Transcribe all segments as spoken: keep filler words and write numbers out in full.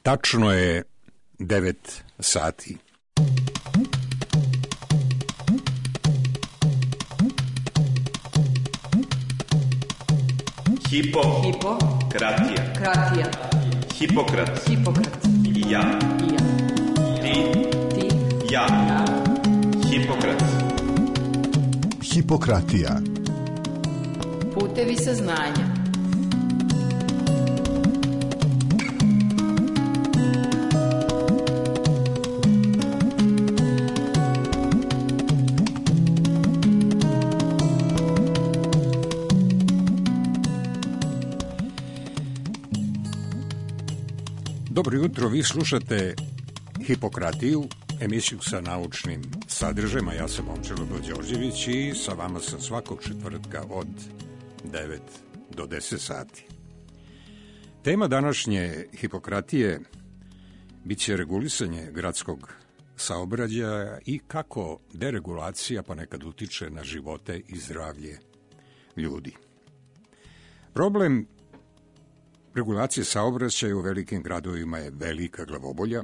Tačno je devet sati. Hipo, Hipo, kratija, kratija, Hipokrat, Hipokrat, i ja, i ja, ti, ti, ja, ja, Hipokrat. Hipokratija. putevi saznanja. Dobro jutro, vi slušate Hipokratiju, emisiju sa naučnim sadržajima. Ja sam Momčilo Đorđević i sa vama sam svakog četvrtka od devet do deset sati. Tema današnje Hipokratije biće regulisanje gradskog saobraćaja i kako deregulacija ponekad utiče na živote i zdravlje ljudi. Problem regulacije saobraćaja u velikim gradovima je velika glavobolja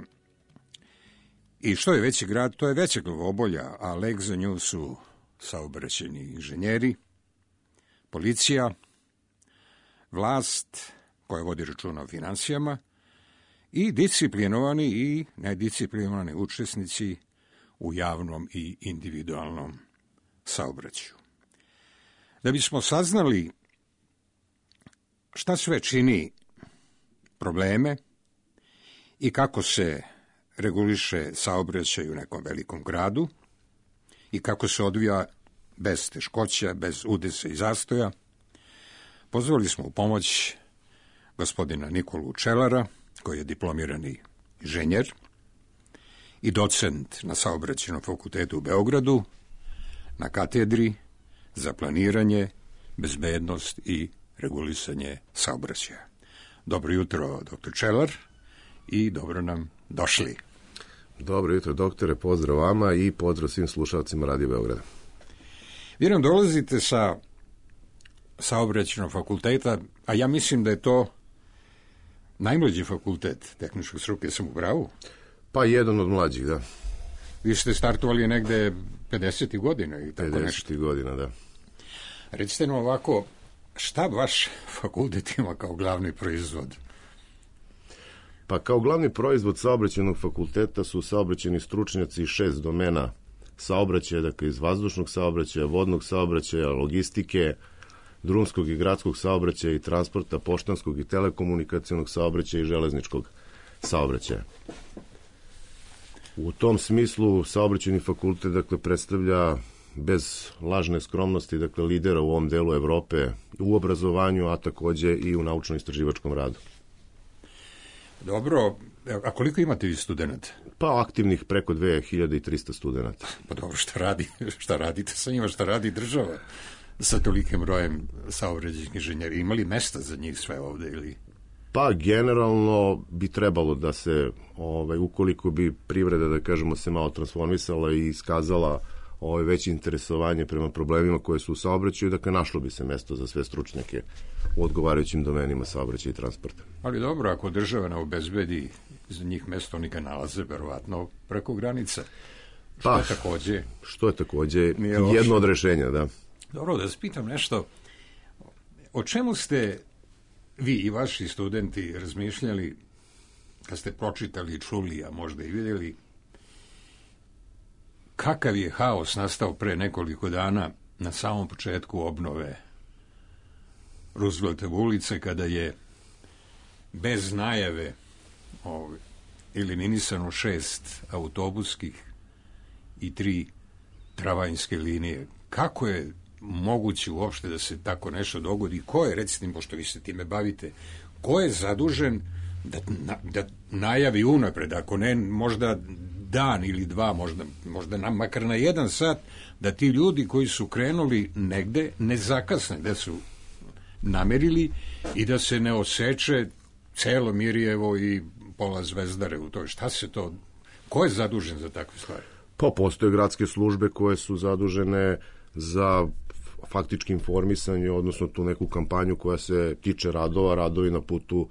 i što je veći grad, to je veća glavobolja, a lek za nju su saobraćajni inženjeri, policija, vlast koja vodi računa o finansijama i disciplinovani i nedisciplinovani učesnici u javnom i individualnom saobraćaju. Da bismo saznali šta sve čini probleme i kako se reguliše saobraćaj u nekom velikom gradu i kako se odvija bez teškoća, bez udesa i zastoja, pozvali smo u pomoć gospodina Nikolu Čelara, koji je diplomirani inženjer i docent na Saobraćajnom fakultetu u Beogradu, na katedri za planiranje, bezbednost i regulisanje saobraćaja. Dobro jutro, doktor Čelar, i dobro nam došli. Dobro jutro, doktore, pozdrav vama i pozdrav svim slušalcima Radio Beograda. Vi nam dolazite sa Saobraćajnog fakulteta, a ja mislim da je to najmlađi fakultet tehničke struke, sam u pravu? Pa jedan od mlađih, da. Vi ste startovali negde pedesetih godina i tako nešto. pedesetih godina, da. Recite nam ovako, šta vaš fakultet ima kao glavni proizvod? Pa kao glavni proizvod Saobraćajnog fakulteta su saobraćajni stručnjaci iz šest domena saobraćaja, dakle iz vazdušnog saobraćaja, vodnog saobraćaja, logistike, drumskog i gradskog saobraćaja i transporta, poštanskog i telekomunikacionog saobraćaja i železničkog saobraćaja. U tom smislu Saobraćajni fakultet, dakle, predstavlja bez lažne skromnosti, dakle, lidera u ovom delu Evrope u obrazovanju, a takođe i u naučno-istraživačkom radu. Dobro, a koliko imate vi studenta? Pa aktivnih preko dve hiljade trista studenta. Pa dobro, šta radi, šta radite sa njima, šta radi država sa tolikim brojem saobraćajnih inženjera? Ima li mesta za njih sve ovde ili? Pa generalno bi trebalo da se, ovaj, ukoliko bi privreda, da kažemo, se malo transformisala i iskazala ovaj, veće interesovanje prema problemima koje su u saobraćaju, dakle našlo bi se mesto za sve stručnjake u odgovarajućim domenima saobraćaja i transporta. Ali dobro, ako država ne obezbedi za njih mesto, oni ga nalaze verovatno preko granica. Što pa, je takođe... Što je takođe jedno od rešenja, da. Dobro, da spitam nešto. O čemu ste vi i vaši studenti razmišljali kad ste pročitali, čuli, a možda i vidjeli kakav je haos nastao pre nekoliko dana na samom početku obnove Rooseveltove ulice, kada je bez najave ovaj, eliminisano šest autobuskih i tri tramvajske linije. Kako je moguće uopšte da se tako nešto dogodi? Ko je, recite, pošto vi se time bavite, ko je zadužen da, na, da najavi unapred, ako ne možda dan ili dva, možda, možda nam, makar na jedan sat, da ti ljudi koji su krenuli negde ne zakasne, da su namerili i da se ne oseče celo Mirjevo i pola Zvezdare u toj. Šta se to, ko je zadužen za takve stvari? Pa postoje gradske službe koje su zadužene za faktički informisanje, odnosno tu neku kampanju koja se tiče radova, radovi na putu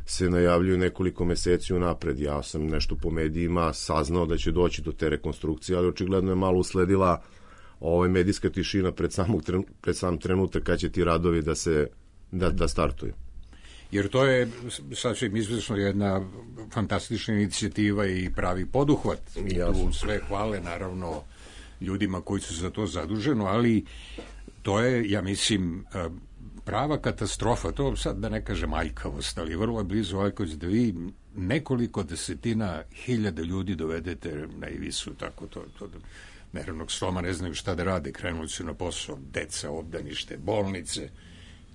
se najavljuju nekoliko meseci unapred. Ja sam nešto po medijima saznao da će doći do te rekonstrukcije, ali očigledno je malo usledila ovaj medijska tišina pred, samog, pred sam trenutak kad će ti radovi da se da, da startuju. Jer to je sasvim izvesno jedna fantastična inicijativa i pravi poduhvat. I tu sve hvale, naravno, ljudima koji su za to zaduženo, ali to je, ja mislim, prava katastrofa. To sad da ne kažem aljkavost, ali vrlo je blizu aljkavost da vi nekoliko desetina hiljada ljudi dovedete na ivicu, tako to, to nervnog sloma, ne znaju šta da rade, krenuli su na posao, deca, obdanište, bolnice.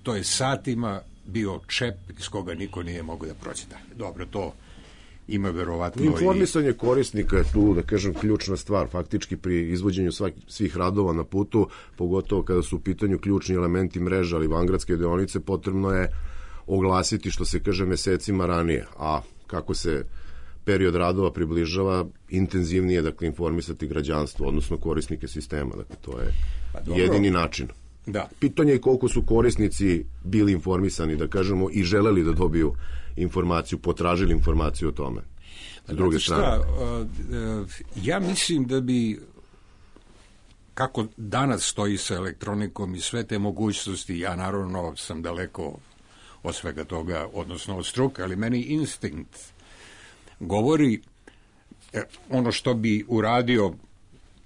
To je satima bio čep iz koga niko nije mogao da prođe dalje. Dobro, to ima verovatno... Informisanje i... korisnika je tu, da kažem, ključna stvar. Faktički pri izvođenju svaki, svih radova na putu, pogotovo kada su u pitanju ključni elementi mreža, ali vangradske deonice, potrebno je oglasiti, što se kaže, mesecima ranije. A kako se period radova približava, intenzivnije, dakle, informisati građanstvo, odnosno korisnike sistema. Dakle, to je pa jedini način. Da. Pitanje je koliko su korisnici bili informisani, da kažemo, i želeli da dobiju informaciju, potražili informaciju o tome. S druge strane. Šta, ja mislim da bi, kako danas stoji sa elektronikom i sve te mogućnosti, ja naravno sam daleko od svega toga, odnosno od struke, ali meni instinkt govori ono što bi uradio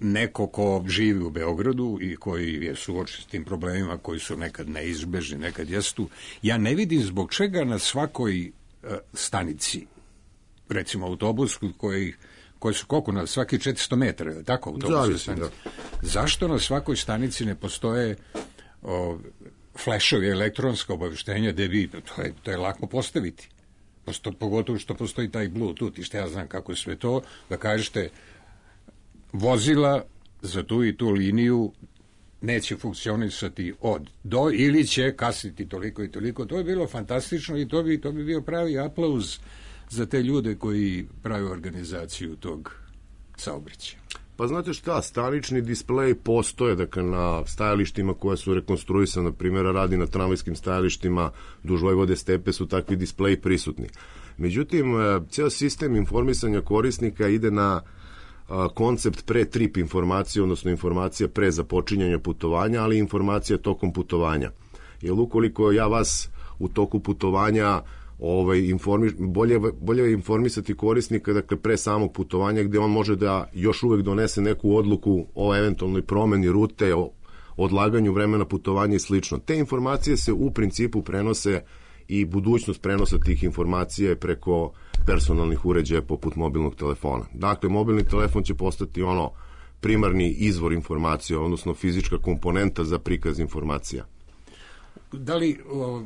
neko ko živi u Beogradu i koji je suočen s tim problemima koji su nekad neizbežni, nekad jestu. Ja ne vidim zbog čega na svakoj uh, stanici, recimo autobus koji, koji su koliko na svaki četiristo metara, tako autobus stanici. Zašto na svakoj stanici ne postoje uh, flešovi, elektronska obaveštenja gde vi, to je, to je lako postaviti. Posto, pogotovo što postoji taj Bluetooth i što ja znam kako je sve to, da kažete vozila za tu i tu liniju neće funkcionisati od do ili će kasniti toliko i toliko. To je bilo fantastično i to bi, to bi bio pravi aplauz za te ljude koji prave organizaciju tog saobraćaja. Pa znate šta, stanični displeji postoje, dakle, na stajalištima koja su rekonstruisana, na primjer, radi na tramvajskim stajalištima duž Vojvode Stepe su takvi displeji prisutni. Međutim, ceo sistem informisanja korisnika ide na koncept pre-trip informacije, odnosno informacija pre započinjanja putovanja, ali informacija tokom putovanja. Jer ukoliko ja vas u toku putovanja ovaj, informi, bolje, bolje je informisati korisnika, dakle, pre samog putovanja, gde on može da još uvek donese neku odluku o eventualnoj promeni rute, o odlaganju vremena putovanja i slično. Te informacije se u principu prenose i budućnost prenosa tih informacija je preko personalnih uređaja poput mobilnog telefona. Dakle, mobilni telefon će postati ono primarni izvor informacija, odnosno fizička komponenta za prikaz informacija. Da li, o,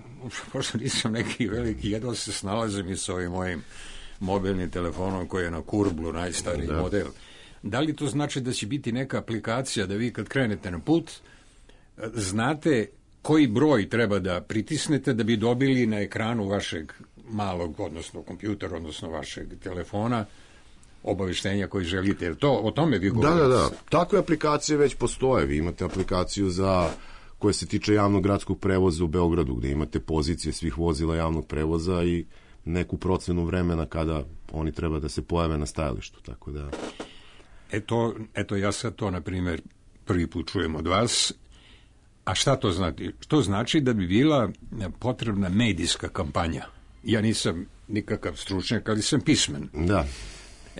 pošto nisam neki veliki, jedno se snalazim i s ovim mojim mobilnim telefonom koji je na kurblu, najstariji da. model, da li to znači da će biti neka aplikacija da vi kad krenete na put znate koji broj treba da pritisnete da bi dobili na ekranu vašeg malog, odnosno kompjutera, odnosno vašeg telefona obaveštenja koji želite. Jer to, o tome vi govorite? Da, da, da. Takve aplikacije već postoje. Vi imate aplikaciju za koja se tiče javnog gradskog prevoza u Beogradu, gde imate pozicije svih vozila javnog prevoza i neku procenu vremena kada oni treba da se pojave na stajalištu. Tako da... Eto, eto ja sad to, na primjer, prvi put čujem od vas. A šta to znači? To znači da bi bila potrebna medijska kampanja. Ja nisam nikakav stručnjak, ali sam pismen. Da.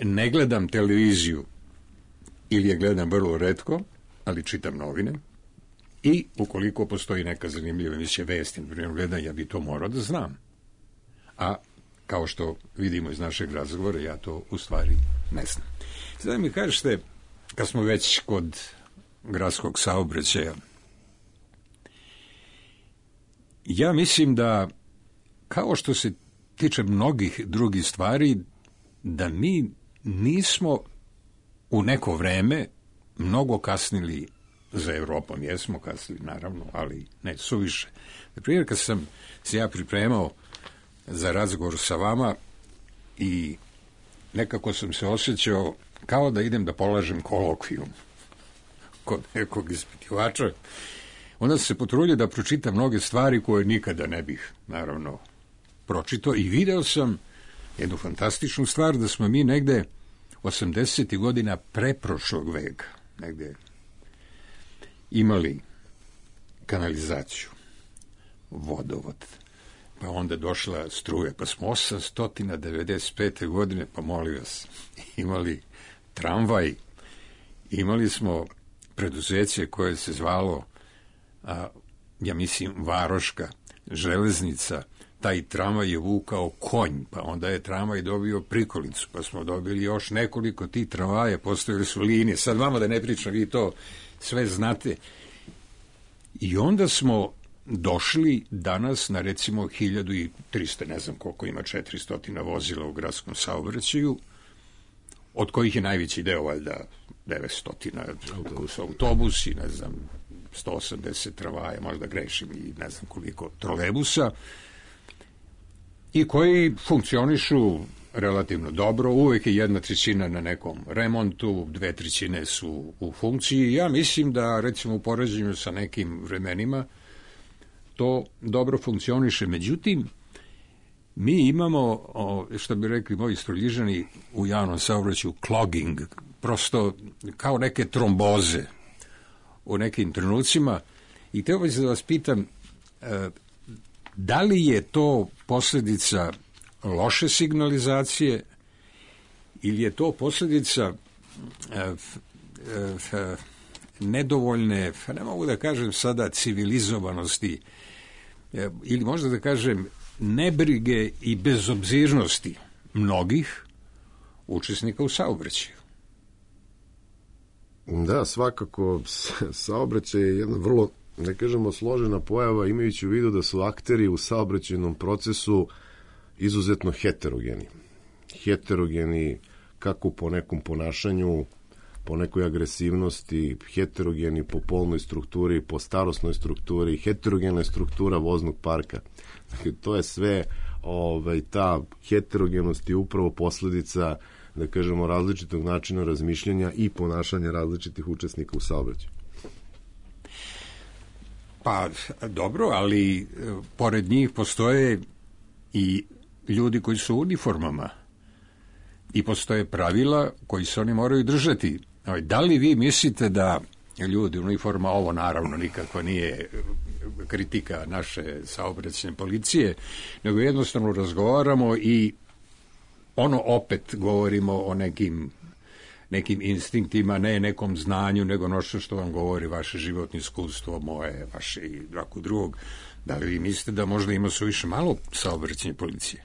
Ne gledam televiziju ili je gledam vrlo retko, ali čitam novine. I ukoliko postoji neka zanimljiva emisija vesti, na primjer gledam, ja bi to morao da znam. A kao što vidimo iz našeg razgovora, ja to u stvari ne znam. Sada mi kažete, kad smo već kod gradskog saobraćaja, ja mislim da, kao što se tiče mnogih drugih stvari, da mi nismo u neko vreme mnogo kasnili za Evropom. Jesmo kasnili, naravno, ali ne suviše. Na primjer, kad sam se ja pripremao za razgovor sa vama i nekako sam se osjećao kao da idem da polažem kolokvijum kod nekog ispitivača, onda se potrudio da pročitam mnoge stvari koje nikada ne bih, naravno, pročitao i video sam jednu fantastičnu stvar, da smo mi negde osamdesetih godina preprošlog veka negde imali kanalizaciju, vodovod, pa onda došla struja, pa smo osamsto devedeset pete godine, pa molim vas, imali tramvaj, imali smo preduzeće koje se zvalo, a, ja mislim, Varoška železnica, taj tramvaj je vukao konj, pa onda je tramvaj dobio prikolicu, pa smo dobili još nekoliko tih tramvaja, postojili su linije, sad vama da ne pričam, vi to sve znate. I onda smo došli danas na recimo hiljadu trista, ne znam koliko ima, četiristo vozila u gradskom saobraćaju, od kojih je najveći deo, valjda, devetsto su autobusi, ne znam, sto osamdeset tramvaja, možda grešim, i ne znam koliko trolebusa, i koji funkcionišu relativno dobro, uvek je jedna trećina na nekom remontu, dve trećine su u funkciji. Ja mislim da, recimo, u poređenju sa nekim vremenima to dobro funkcioniše. Međutim, mi imamo, što bi rekli moji Stroljižani u javnom saobraćaju, clogging, prosto kao neke tromboze u nekim trenucima. I teo bih se da vas pitam, da li je to posljedica loše signalizacije ili je to posljedica e, e, nedovoljne, ne mogu da kažem sada civilizovanosti, e, ili možda da kažem nebrige i bezobzirnosti mnogih učesnika u saobraćaju. Da, svakako, saobraćaj je jedna vrlo, ne kažemo, složena pojava, imajući u vidu da su akteri u saobraćajnom procesu izuzetno heterogeni. Heterogeni kako po nekom ponašanju, po nekoj agresivnosti, heterogeni po polnoj strukturi, po starosnoj strukturi, heterogena je struktura voznog parka. Dakle, to je sve, ovaj, ta heterogenost je upravo posledica, da kažemo, različitog načina razmišljanja i ponašanja različitih učesnika u saobraćaju. Pa, dobro, ali e, pored njih postoje i ljudi koji su u uniformama i postoje pravila koji se oni moraju držati. Da li vi mislite da ljudi u uniforma, ovo naravno nikako nije kritika naše saobraćajne policije, nego jednostavno razgovaramo i ono opet govorimo o nekim nekim instinktima, ne nekom znanju, nego nošto što vam govori vaše životno iskustvo, moje, vaše i svakog drugog. Da li vi mislite da možda ima suviše malo saobraćajne policije?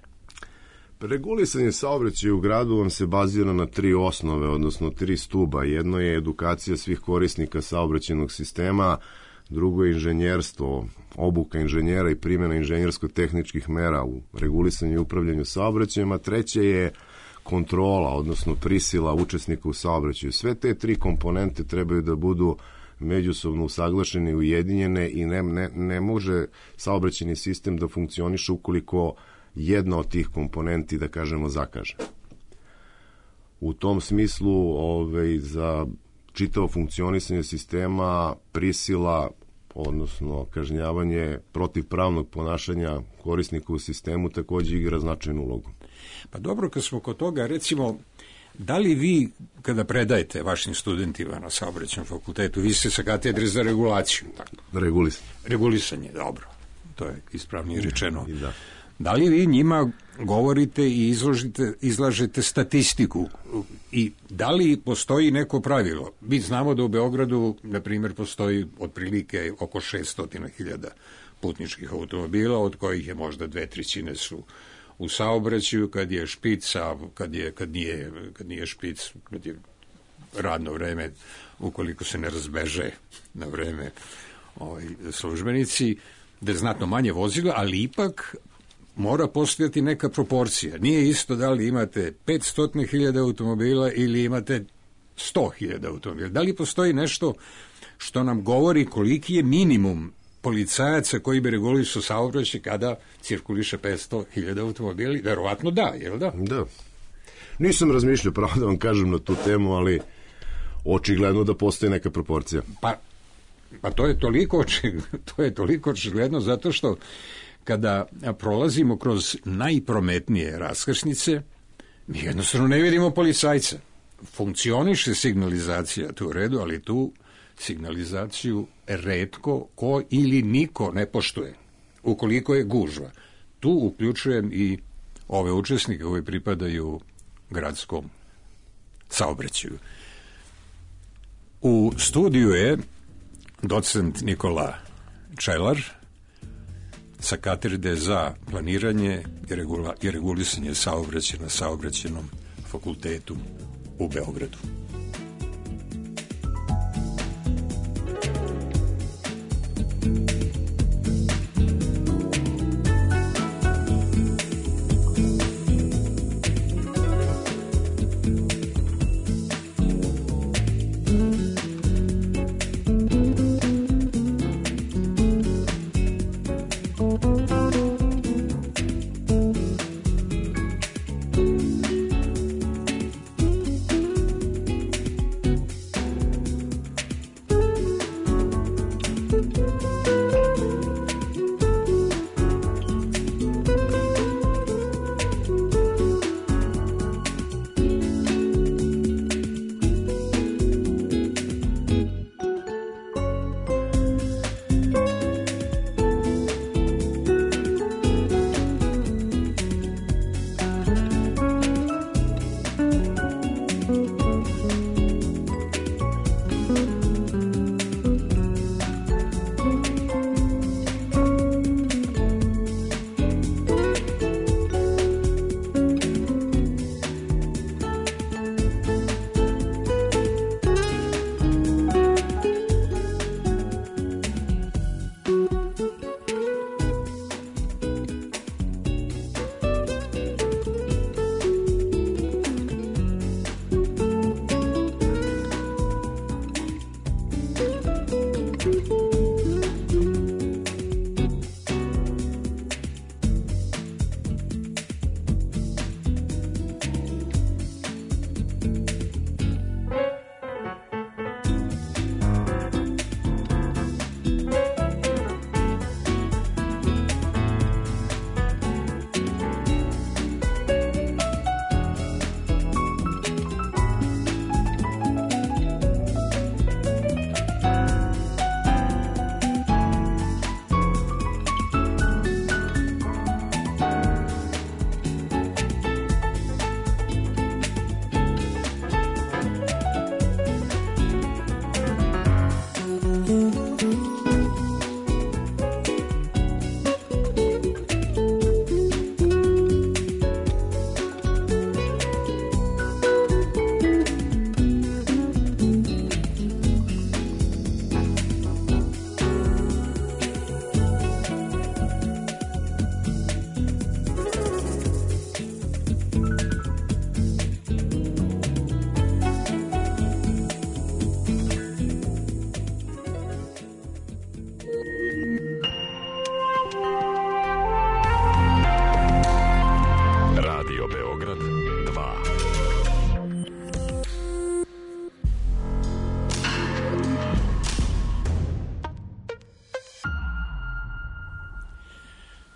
Regulisanje saobraćaja u gradu vam se bazira na tri osnove, odnosno tri stuba. Jedno je edukacija svih korisnika saobraćajnog sistema, drugo je inženjerstvo, obuka inženjera i primjena inženjersko-tehničkih mera u regulisanju i upravljanju saobraćajem, a treće je kontrola, odnosno prisila učesnika u saobraćaju. Sve te tri komponente trebaju da budu međusobno usaglašene i ujedinjene i ne, ne, ne može saobraćajni sistem da funkcioniše ukoliko jedna od tih komponenti, da kažemo, zakaže. U tom smislu, ovaj, za čitavo funkcionisanje sistema prisila, odnosno kažnjavanje protivpravnog ponašanja korisnika u sistemu takođe igra značajnu ulogu. Pa dobro, kad smo kod toga, recimo, da li vi, kada predajete vašim studentima na saobraćajnom fakultetu, vi ste sa katedre za regulaciju? Tako? Regulisanje. Regulisanje, dobro. To je ispravnije rečeno. I da. Da li vi njima govorite i izložite, izlažete statistiku i da li postoji neko pravilo? Mi znamo da u Beogradu, na primjer, postoji otprilike oko šesto hiljada putničkih automobila, od kojih je možda dve trećine su u saobraćaju, kad je špica, kad, je, kad, nije, kad nije špic, kad je radno vreme, ukoliko se ne razbeže na vreme ovaj, službenici, da je znatno manje vozila, ali ipak mora postojati neka proporcija. Nije isto da li imate petsto hiljada automobila ili imate sto hiljada automobila. Da li postoji nešto što nam govori koliki je minimum policajaca koji bi regulisao saobraćaj kada cirkuliše petsto hiljada automobila? Verovatno da, jel da? Da. Nisam razmišljao, pravo da vam kažem, na tu temu, ali očigledno da postoji neka proporcija. Pa, pa to je toliko očigledno, to je toliko očigledno zato što kada prolazimo kroz najprometnije raskršnice, mi jednostavno ne vidimo policajca. Funkcioniše signalizacija, tu u redu, ali tu signalizaciju retko ko ili niko ne poštuje, ukoliko je gužva. Tu uključujem i ove učesnike koji pripadaju gradskom saobraćaju. U studiju je docent Nikola Čelar sa katedre za planiranje i, regula, i regulisanje saobraćaja na Saobraćajnom fakultetu u Beogradu.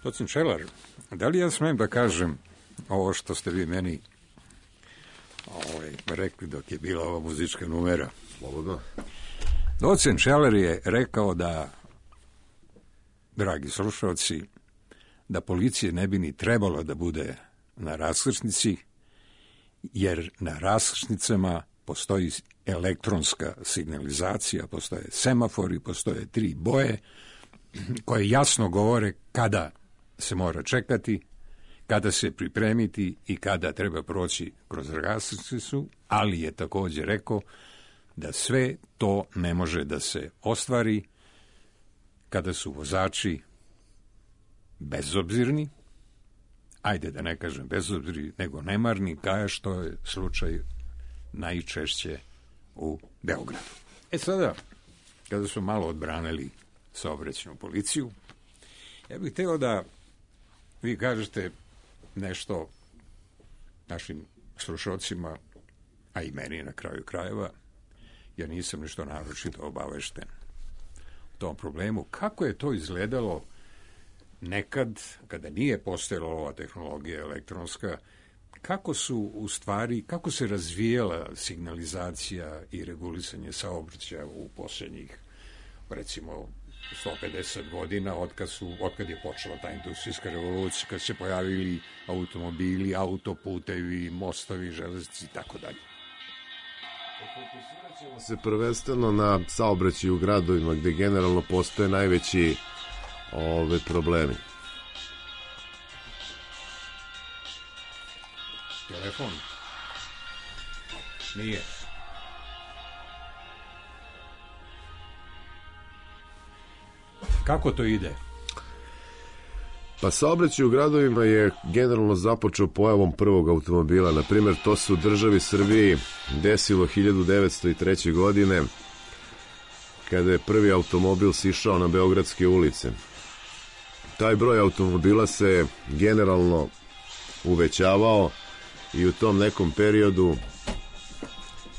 Docent Čelar, da li ja smem da kažem ovo što ste vi meni ovaj, rekli dok je bila ova muzička numera? Slobodno. Docent Čelar je rekao da, dragi slušalci, da policije ne bi ni trebalo da bude na raskršnici, jer na raskršnicama postoji elektronska signalizacija, postoje semafori, postoje tri boje koje jasno govore kada se mora čekati, kada se pripremiti i kada treba proći kroz raskršnicu, ali je također rekao da sve to ne može da se ostvari kada su vozači bezobzirni, ajde da ne kažem bezobzirni, nego nemarni, kao što je slučaj najčešće u Beogradu. E sada, kada smo malo odbranili saobraćajnu policiju, ja bih hteo da vi kažete nešto našim slušalcima, a i meni na kraju krajeva, ja nisam nešto naročito obavešten o tom problemu. Kako je to izgledalo nekad, kada nije postojala ova tehnologija elektronska, kako su u stvari, kako se razvijala signalizacija i regulisanje saobraćaja u posljednjih, recimo, sto pedeset godina, otkad, su, otkad je počela ta industrijska revolucija, kad se pojavili automobili, autoputevi, mostovi, železnici i tako dalje. Fokusirat ćemo se prvenstveno na saobraćaj u gradovima gde generalno postoje najveći ove problemi. Telefon? Nije. Kako to ide? Pa saobraćaj u gradovima je generalno započeo pojavom prvog automobila. Na primjer, to se u državi Srbiji desilo hiljadu devetsto treće. godine, kada je prvi automobil sišao na beogradske ulice. Taj broj automobila se generalno uvećavao i u tom nekom periodu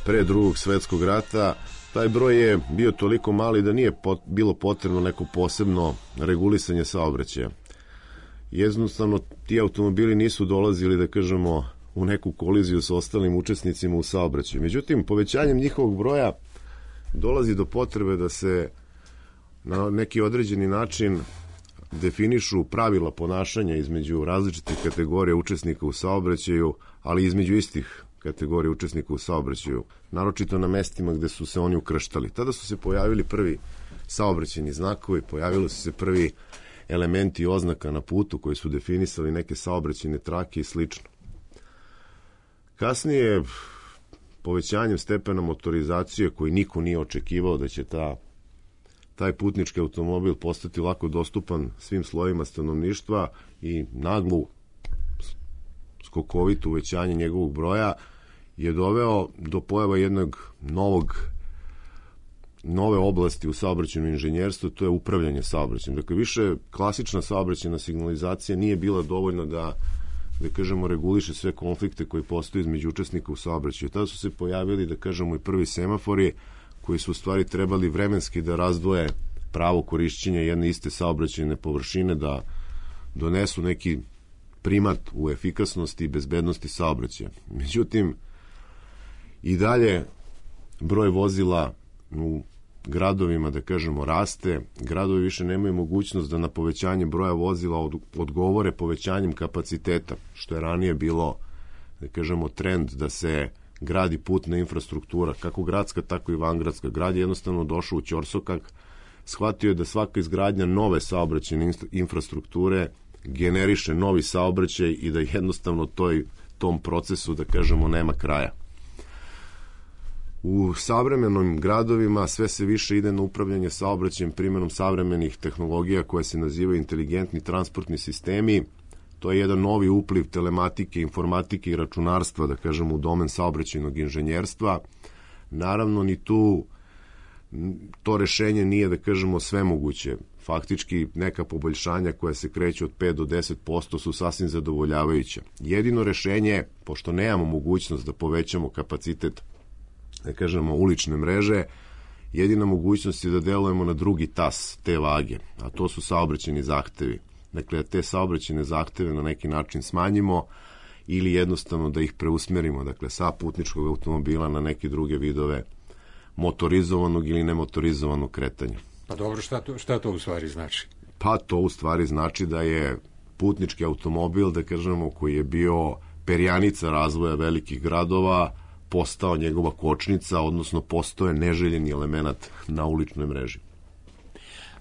pre drugog svetskog rata taj broj je bio toliko mali da nije pot, bilo potrebno neko posebno regulisanje saobraćaja. Jednostavno, ti automobili nisu dolazili, da kažemo, u neku koliziju sa ostalim učesnicima u saobraćaju. Međutim, povećanjem njihovog broja dolazi do potrebe da se na neki određeni način definišu pravila ponašanja između različitih kategorija učesnika u saobraćaju, ali između istih kategorija učesnika u saobraćaju, naročito na mestima gde su se oni ukrštali. Tada su se pojavili prvi saobraćajni znakovi, pojavili su se prvi elementi oznaka na putu koji su definisali neke saobraćajne trake i slično. Kasnije, povećanjem stepena motorizacije koji niko nije očekivao da će ta, taj putnički automobil postati lako dostupan svim slojima stanovništva i naglu skokovito uvećanje njegovog broja je doveo do pojava jednog novog nove oblasti u saobraćajnom inženjerstvu, to je upravljanje saobraćajem. Dakle, više klasična saobraćajna signalizacija nije bila dovoljna da, da kažemo, reguliše sve konflikte koji postoje između učesnika u saobraćaju. Tada su se pojavili, da kažemo, i prvi semafori koji su u stvari trebali vremenski da razdvoje pravo korišćenja jedne iste saobraćajne površine, da donesu neki primat u efikasnosti i bezbednosti saobraćaja. Međutim, i dalje broj vozila u gradovima, da kažemo, raste. Gradovi više nemaju mogućnost da na povećanje broja vozila od, odgovore povećanjem kapaciteta, što je ranije bilo, da kažemo, trend da se gradi putna infrastruktura, kako gradska, tako i vangradska. Grad je jednostavno došao u ćorsokak, shvatio je da svaka izgradnja nove saobraćajne infrastrukture generiše novi saobraćaj i da jednostavno toj, tom procesu, da kažemo, nema kraja. U savremenim gradovima sve se više ide na upravljanje saobraćajem primjenom savremenih tehnologija koje se nazivaju inteligentni transportni sistemi. To je jedan novi upliv telematike, informatike i računarstva, da kažemo, u domen saobraćajnog inženjerstva. Naravno, ni tu to rešenje nije, da kažemo, svemoguće. Faktički, neka poboljšanja koja se kreću od pet do deset posto su sasvim zadovoljavajuća. Jedino rešenje, pošto nemamo mogućnost da povećamo kapacitet, da kažemo, ulične mreže, jedina mogućnost je da delujemo na drugi tas te vage, a to su saobraćajni zahtevi. Dakle, te saobraćajne zahteve na neki način smanjimo ili jednostavno da ih preusmerimo, dakle, sa putničkog automobila na neke druge vidove motorizovanog ili nemotorizovanog kretanja. Pa dobro, šta to, šta to u stvari znači? Pa to u stvari znači da je putnički automobil, da kažemo, koji je bio perjanica razvoja velikih gradova, postao njegova kočnica, odnosno postao je neželjeni element na uličnoj mreži.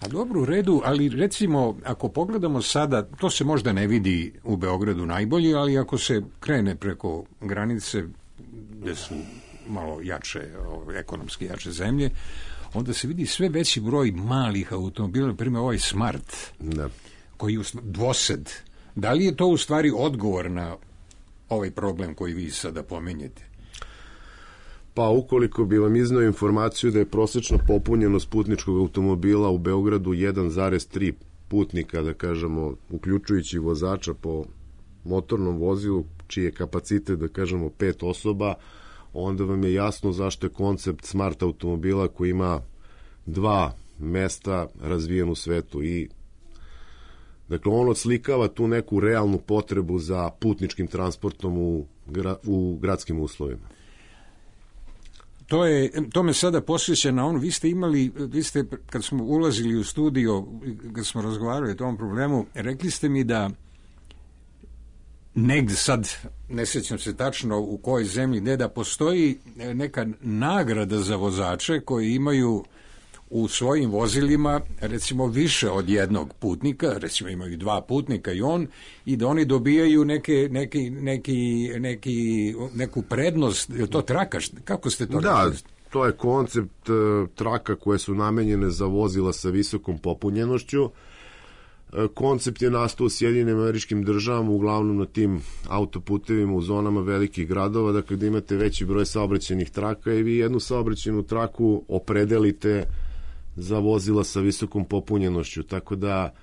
A dobro, u redu, ali recimo, ako pogledamo sada, to se možda ne vidi u Beogradu najbolje, ali ako se krene preko granice, gde su malo jače, ekonomski jače zemlje, onda se vidi sve veći broj malih automobila, na primjer ovaj Smart, da. koji je dvosed. Da li je to u stvari odgovor na ovaj problem koji vi sada pomenjete? Pa ukoliko bi vam iznao informaciju da je prosečna popunjenost putničkog automobila u Beogradu jedan zarez tri putnika, da kažemo, uključujući vozača po motornom vozilu, čiji je kapacitet, da kažemo, pet osoba, onda vam je jasno zašto je koncept Smart automobila koji ima dva mesta razvijen u svetu, i Dakle, on odslikava tu neku realnu potrebu za putničkim transportom u, gra, u gradskim uslovima. To, je, to me sada posjeća na ono, vi ste imali, vi ste, kad smo ulazili u studio, kad smo razgovarali o tom problemu, rekli ste mi da negde sad, ne sjećam se tačno u kojoj zemlji, ne da postoji neka nagrada za vozače koji imaju u svojim vozilima recimo više od jednog putnika, recimo imaju dva putnika i on, i da oni dobijaju neke, neki, neki, neki, neku prednost. Je to traka? Kako ste to da, rekli? To je koncept uh, traka koje su namenjene za vozila sa visokom popunjenošću. Uh, koncept je nastao u Sjedinjenim Američkim Državama, uglavnom na tim autoputevima u zonama velikih gradova, da kada imate veći broj saobraćajnih traka i vi jednu saobraćajnu traku opredelite za vozila sa visokom popunjenošću, tako da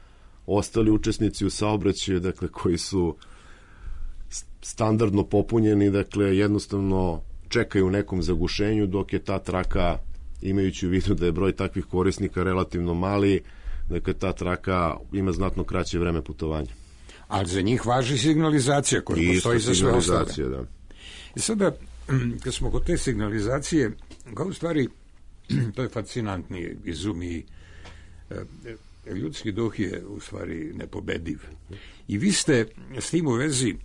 ostali učesnici u saobraćaju, dakle, koji su standardno popunjeni, dakle, jednostavno čekaju u nekom zagušenju, dok je ta traka, imajući u vidu da je broj takvih korisnika relativno mali, dakle, ta traka ima znatno kraće vreme putovanja. Ali za njih važi signalizacija koja postoji za sve ostale. Da. I sada, kad smo kod te signalizacije, kao u stvari, to je fascinantni izum i e, ljudski duh je u stvari nepobediv. I vi ste s tim u vezi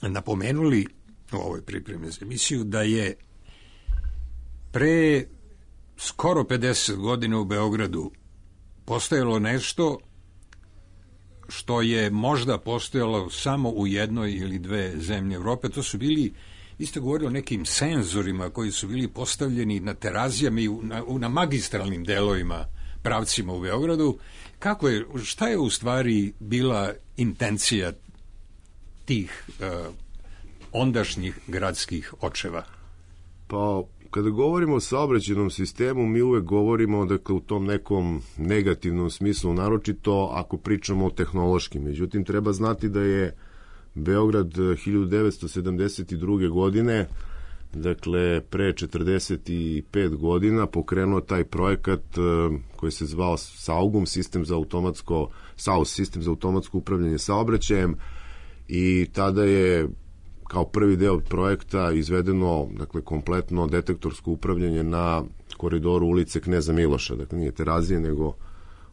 napomenuli u ovoj pripremi za emisiju da je pre skoro pedeset godina u Beogradu postojalo nešto što je možda postojalo samo u jednoj ili dve zemlje Evrope. To su bili, vi ste govorili o nekim senzorima koji su bili postavljeni na terazijama i na, na magistralnim delovima, pravcima u Beogradu. Kako je, šta je u stvari bila intencija tih uh, ondašnjih gradskih očeva? Pa, kada govorimo o saobraćajnom sistemu, mi uvek govorimo, dakle, u tom nekom negativnom smislu, naročito ako pričamo o tehnološkim. Međutim, treba znati da je Beograd hiljadu devetsto sedamdeset druge. godine, dakle, pre četrdeset pet godina, pokrenuo taj projekat koji se zvao SAUGUM, sistem za automatsko, S A U S, sistem za automatsko upravljanje saobraćajem, i tada je kao prvi deo projekta izvedeno, dakle, kompletno detektorsko upravljanje na koridoru ulice Kneza Miloša, dakle, nije Terazije, nego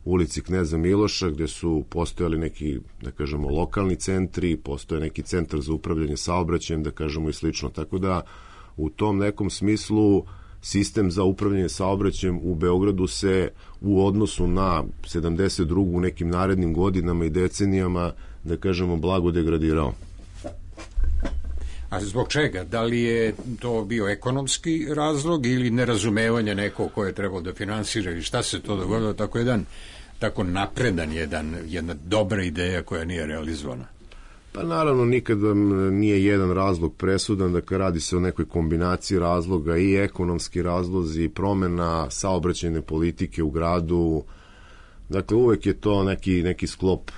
ulici Kneza Miloša, gde su postojali neki, da kažemo, lokalni centri, postoje neki centar za upravljanje saobraćajem, da kažemo, i slično. Tako da, u tom nekom smislu, sistem za upravljanje saobraćajem u Beogradu se u odnosu na sedamdeset drugu. u nekim narednim godinama i decenijama, da kažemo, blago degradirao. A zbog čega? Da li je to bio ekonomski razlog ili nerazumevanje nekog koje je trebao da finansira ili šta se to dogodilo? Tako jedan, tako napredan jedan, jedna dobra ideja koja nije realizovana. Pa naravno, nikad vam nije jedan razlog presudan, dakle, radi se o nekoj kombinaciji razloga, i ekonomski razlozi, promena saobraćajne politike u gradu. Dakle, uvek je to neki, neki sklop,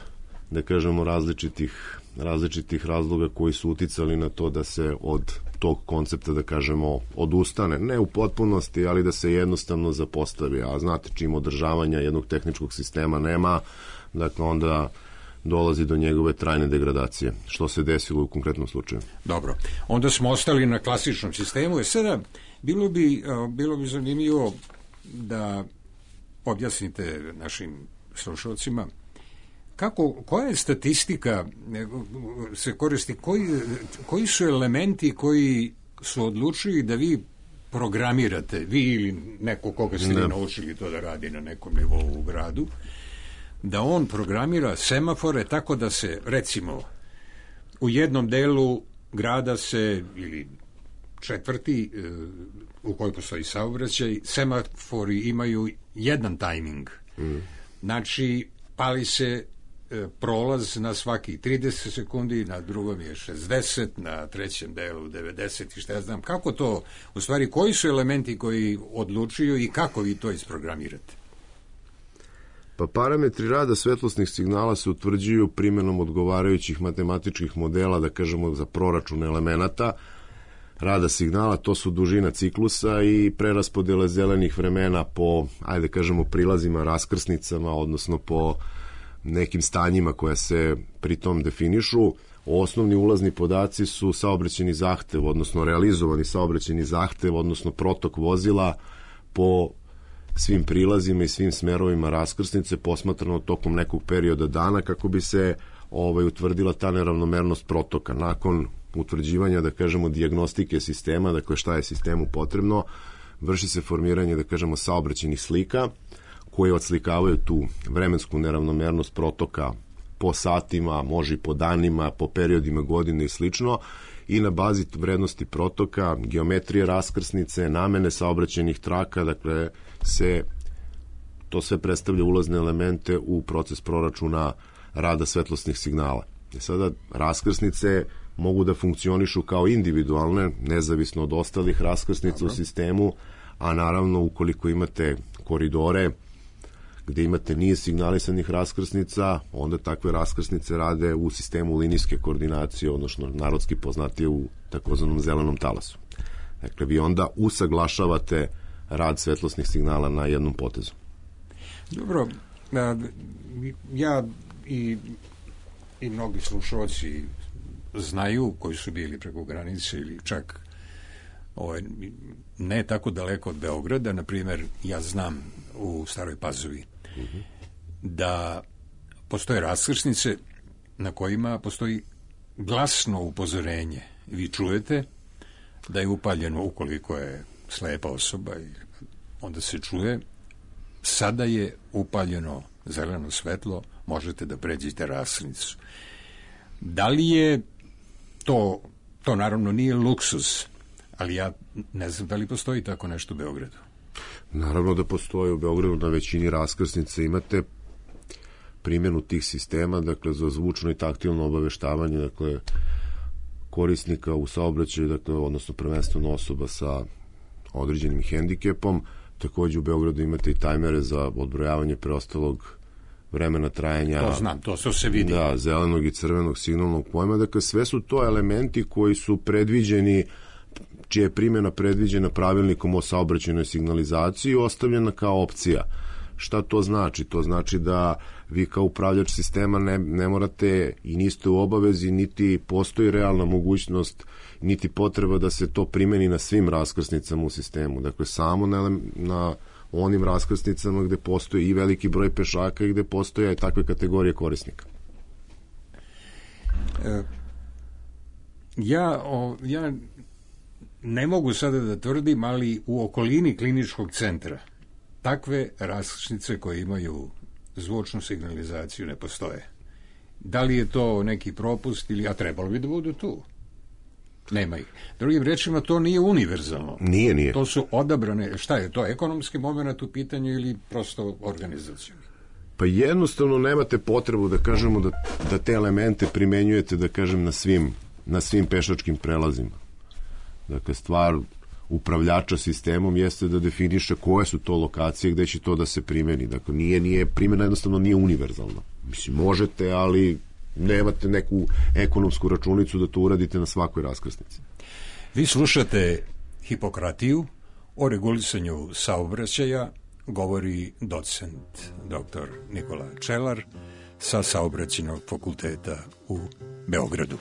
da kažemo, različitih različitih razloga koji su uticali na to da se od tog koncepta, da kažemo, odustane. Ne u potpunosti, ali da se jednostavno zapostavi. A znate, čim održavanja jednog tehničkog sistema nema, dakle, onda dolazi do njegove trajne degradacije, što se desilo u konkretnom slučaju. Dobro. Onda smo ostali na klasičnom sistemu. E sada, bilo bi, bilo bi zanimljivo da objasnite našim slušalcima kako, koja je statistika se koristi, koji, koji su elementi koji su odlučili da vi programirate, vi ili neko koga ste ne. naučili to da radi na nekom nivou u gradu, da on programira semafore tako da se, recimo, u jednom delu grada se, ili četvrti, u kojoj postoji saobraćaj, semafori imaju jedan tajming. Mm. Znači, pali se prolaz na svaki trideset sekundi, na drugom je šezdeset, na trećem delu devedeset i šta ja znam. Kako to, u stvari, koji su elementi koji odlučuju i kako vi to isprogramirate? Pa parametri rada svetlosnih signala se utvrđuju primjenom odgovarajućih matematičkih modela, da kažemo, za proračun elemenata rada signala. To su dužina ciklusa i preraspodele zelenih vremena po, ajde kažemo, prilazima, raskrsnicama, odnosno po nekim stanjima koja se pritom definišu. Osnovni ulazni podaci su saobraćajni zahtev, odnosno realizovani saobraćajni zahtev, odnosno protok vozila po svim prilazima i svim smerovima raskrsnice posmatrano tokom nekog perioda dana kako bi se ovaj, utvrdila ta neravnomernost protoka. Nakon utvrđivanja, da kažemo, dijagnostike sistema, dakle šta je sistemu potrebno, vrši se formiranje, da kažemo, saobraćajnih slika koje odslikavaju tu vremensku neravnomernost protoka po satima, može i po danima, po periodima godine i slično, i na bazi vrednosti protoka, geometrije raskrsnice, namene saobraćajnih traka, dakle se to sve predstavlja ulazne elemente u proces proračuna rada svetlosnih signala. I sada raskrsnice mogu da funkcionišu kao individualne, nezavisno od ostalih raskrsnica Dobro. u sistemu, a naravno ukoliko imate koridore gde imate niz signalisanih raskrsnica, onda takve raskrsnice rade u sistemu linijske koordinacije, odnosno narodski poznatije u takozvanom zelenom talasu. Dakle, vi onda usaglašavate rad svetlosnih signala na jednom potezu. Dobro, ja i, i mnogi slušalci znaju, koji su bili preko granice ili čak ovaj, ne tako daleko od Beograda, na primjer, ja znam u Staroj Pazovi uh-huh. da postoje raskrsnice na kojima postoji glasno upozorenje. Vi čujete da je upaljeno, ukoliko je slepa osoba, onda se čuje, sada je upaljeno zeleno svetlo, možete da pređete raskrsnicu. Da li je to, to naravno nije luksuz, ali ja ne znam da li postoji tako nešto u Beogradu. Naravno da postoji u Beogradu, na većini raskrsnica imate primjenu tih sistema, dakle za zvučno i taktilno obaveštavanje, dakle korisnika u saobraćaju, dakle, odnosno prvenstveno osoba sa određenim hendikepom. Takođe u Beogradu imate i tajmere za odbrojavanje preostalog vremena trajanja. To znam, to se se vidi. Da, zelenog i crvenog signalnog pojma. Dakle, sve su to elementi koji su predviđeni, čija je primjena predviđena pravilnikom o saobraćajnoj signalizaciji i ostavljena kao opcija. Šta to znači? To znači da vi kao upravljač sistema ne, ne morate i niste u obavezi, niti postoji realna mogućnost, niti potreba da se to primeni na svim raskrsnicama u sistemu. Dakle, samo na, na onim raskrsnicama gde postoji i veliki broj pešaka i gde postoje i takve kategorije korisnika. E, ja, o, ja ne mogu sada da tvrdim, ali u okolini kliničkog centra takve raskrsnice koje imaju zvučnu signalizaciju ne postoje. Da li je to neki propust ili, a trebalo bi da budu tu? Nema ih. Drugim rečima, to nije univerzalno. Nije, nije. To su odabrane, šta je to, ekonomski moment u pitanju ili prosto organizacijom? Pa jednostavno nemate potrebu da kažemo da, da te elemente primenjujete, da kažem, na svim, na svim pešačkim prelazima. Dakle, stvar upravljača sistemom jeste da definiše koje su to lokacije gde će to da se primeni. Dakle, nije, nije, primjena jednostavno nije univerzalna. Mislim, možete, ali nemate neku ekonomsku računicu da to uradite na svakoj raskrsnici. Vi slušate Hipokratiju, o regulisanju saobraćaja govori docent doktor Nikola Čelar sa Saobraćajnog fakulteta u Beogradu.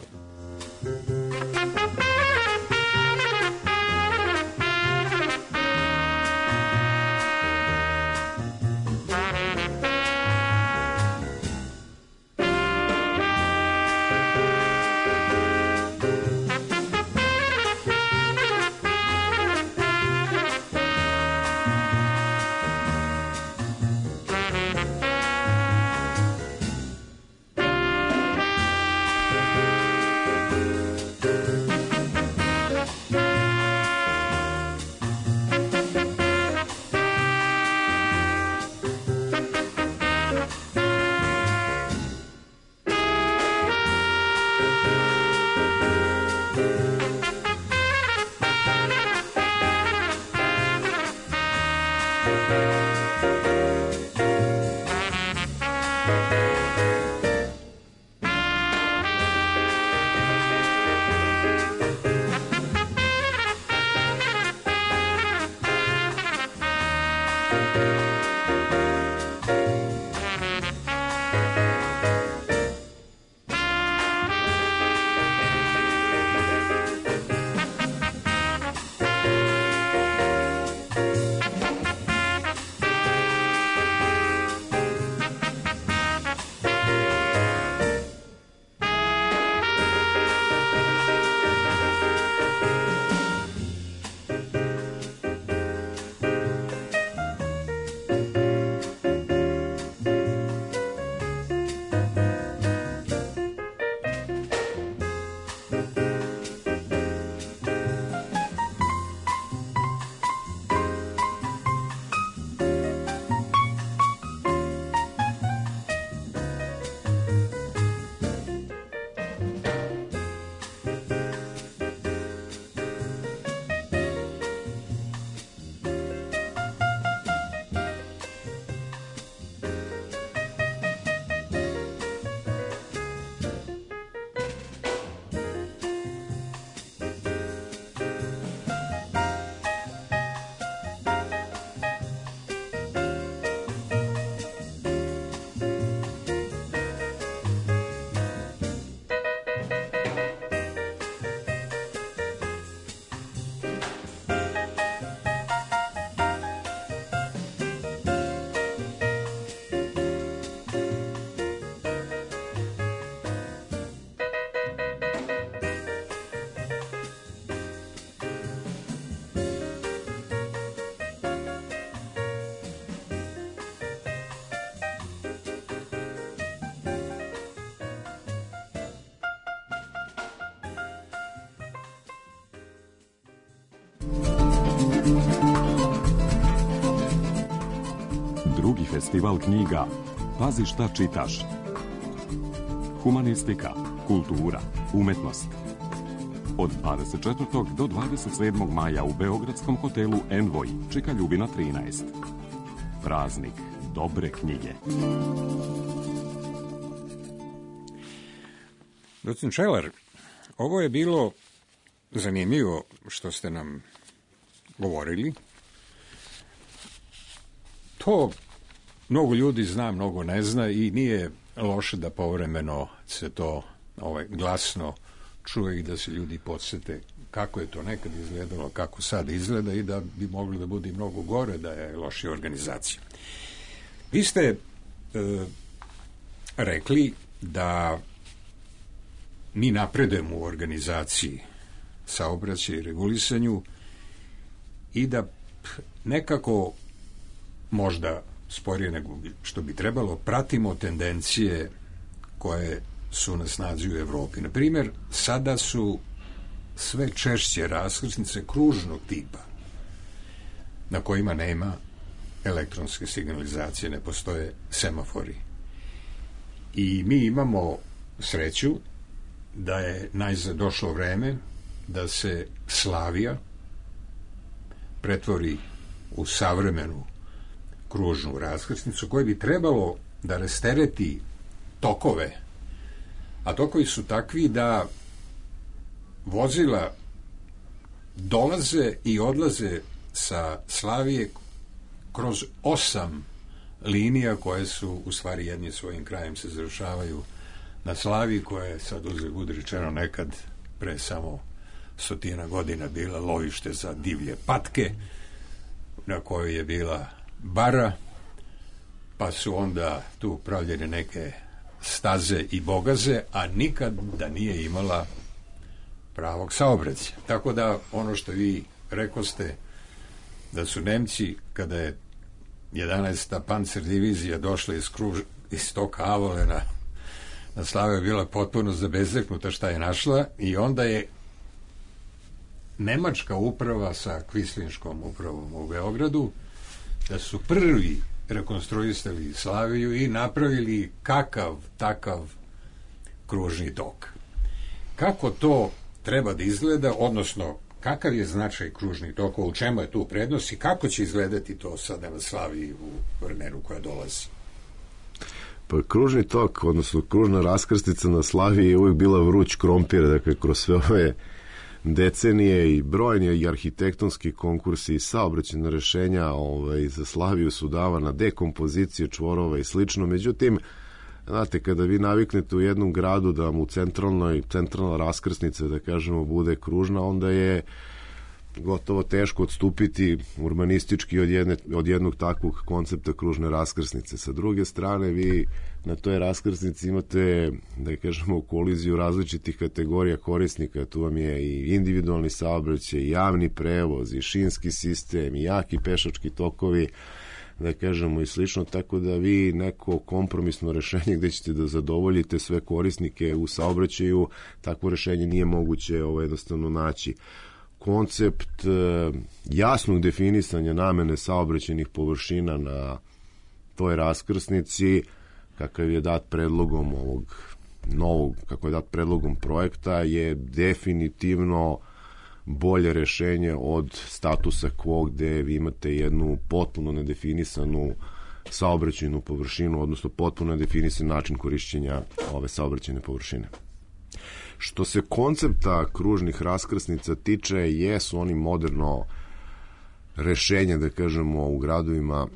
Drugi festival knjiga Pazi šta čitaš. Humanistika, kultura, umetnost. Od dvadeset četvrtog do dvadeset sedmog maja u beogradskom hotelu Envoy, Čika Ljubina trinaest. Praznik dobre knjige. Docent Čelar, ovo je bilo zanimljivo što ste nam govorili. To mnogo ljudi zna, mnogo ne zna i nije loše da povremeno se to ovaj, glasno čuje i da se ljudi podsete kako je to nekad izgledalo, kako sad izgleda i da bi moglo da bude mnogo gore da je lošija organizacija. Vi ste e, rekli da mi napredujemo u organizaciji saobraćaja i regulisanju i da nekako možda sporije nego što bi trebalo pratimo tendencije koje su na snazi u Evropi. Na primjer, sada su sve češće raskrsnice kružnog tipa na kojima nema elektronske signalizacije, ne postoje semafori. I mi imamo sreću da je najzad došlo vreme da se Slavija pretvori u savremenu kružnu raskrsnicu koja bi trebalo da rastereti tokove, a tokovi su takvi da vozila dolaze i odlaze sa Slavije kroz osam linija koje su u stvari jedni svojim krajem se završavaju na Slaviji, koja je sad uzgled budi rečeno nekad pre samo stotina godina bila lovište za divlje patke, na kojoj je bila bara, pa su onda tu pravljene neke staze i bogaze, a nikad da nije imala pravog saobraćaja. Tako da ono što vi rekoste da su Nemci, kada je jedanaesta pancer divizija došla iz, kruž, iz tog Avolena na Slaviju, bila potpuno zabezeknuta šta je našla i onda je nemačka uprava sa kvislinškom upravom u Beogradu da su prvi rekonstruisali Slaviju i napravili kakav takav kružni tok. Kako to treba da izgleda, odnosno kakav je značaj kružnih tokova, u čemu je tu prednost i kako će izgledati to sada na Slaviji u vremenu koja dolazi? Pa kružni tok, odnosno kružna raskrstica na Slaviji je uvijek bila vruć krompir, dakle kroz sve ove decenije i brojni i arhitektonski konkursi i saobraćajna rešenja ovaj, za Slaviju su davana dekompozicije čvorova i slično. Međutim, znate, kada vi naviknete u jednom gradu da mu centralnoj, centralna raskrsnica, da kažemo, bude kružna, onda je gotovo teško odstupiti urbanistički od, jedne, od jednog takvog koncepta kružne raskrsnice. Sa druge strane, vi na toj raskrsnici imate, da kažemo, koliziju različitih kategorija korisnika. Tu vam je i individualni saobraćaj, i javni prevoz, i šinski sistem, i jaki pešački tokovi, da kažemo, i slično, tako da vi neko kompromisno rešenje gde ćete da zadovoljite sve korisnike u saobraćaju, takvo rešenje nije moguće ovo jednostavno naći. Koncept e, jasnog definisanja namene saobraćajnih površina na toj raskrsnici, kakav je dat predlogom ovog novog, kako je dat predlogom projekta, je definitivno bolje rešenje od statusa quo gde vi imate jednu potpuno nedefinisanu saobraćajnu površinu, odnosno potpuno nedefinisan način korišćenja ove saobraćajne površine. Što se koncepta kružnih raskrsnica tiče, jesu oni moderno rešenje, da kažemo, u gradovima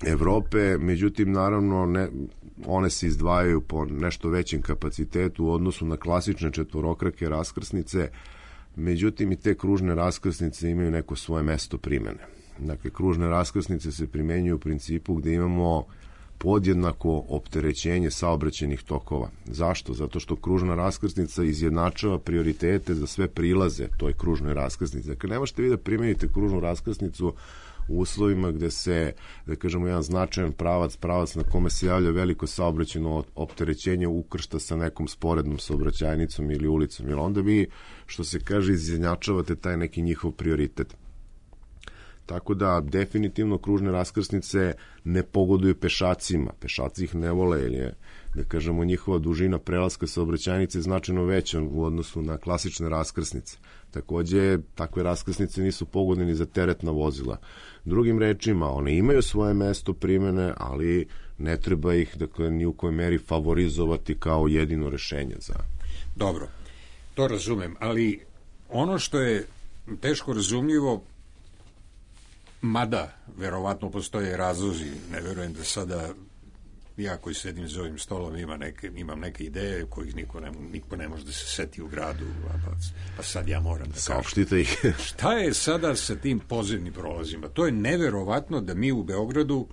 Evrope, međutim, naravno, ne, one se izdvajaju po nešto većem kapacitetu u odnosu na klasične četvorokrake raskrsnice, međutim, i te kružne raskrsnice imaju neko svoje mesto primene. Dakle, kružne raskrsnice se primenjuju u principu gde imamo podjednako opterećenje saobraćajnih tokova. Zašto? Zato što kružna raskrsnica izjednačava prioritete za sve prilaze toj kružnoj raskrsnici. Dakle, ne možete vi da primenite kružnu raskrsnicu u uslovima gde se, da kažemo, jedan značajan pravac, pravac na kome se javlja veliko saobraćajno opterećenje ukršta sa nekom sporednom saobraćajnicom ili ulicom, jer onda vi, što se kaže, izjednačavate taj neki njihov prioritet. Tako da definitivno kružne raskrsnice ne pogoduju pešacima. Pešaci ih ne vole, jer je, da kažemo, njihova dužina prelaska saobraćajnice značajno veća u odnosu na klasične raskrsnice. Takođe, takve raskrsnice nisu pogodne ni za teretna vozila. Drugim rečima, one imaju svoje mesto primene, ali ne treba ih, dakle, ni u kojoj meri favorizovati kao jedino rešenje za... Dobro, to razumem, ali ono što je teško razumljivo, mada verovatno postoje razlozi, ne verujem da sada ja koji sedim za ovim stolom ima neke, imam neke ideje kojih niko ne, niko ne može da se seti u gradu, pa, pa sad ja moram da saopštite ih. Šta je sada sa tim podzemnim prolazima? To je neverovatno da mi u Beogradu,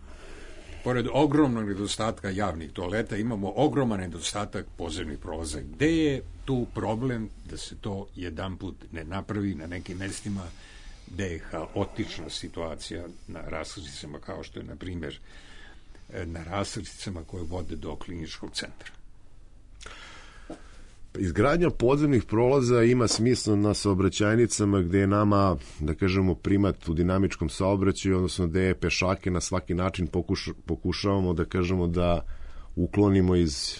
pored ogromnog nedostatka javnih toaleta, imamo ogroman nedostatak podzemnih prolaza. Gde je tu problem da se to jedanput ne napravi na nekim mestima gde je haotična situacija na raskrsnicama, kao što je, na primjer, na raskrsnicama koje vode do kliničkog centra? Izgradnja podzemnih prolaza ima smisla na saobraćajnicama gde je nama, da kažemo, primat u dinamičkom saobraćaju, odnosno gde je pešake na svaki način pokuša, pokušavamo, da kažemo, da uklonimo iz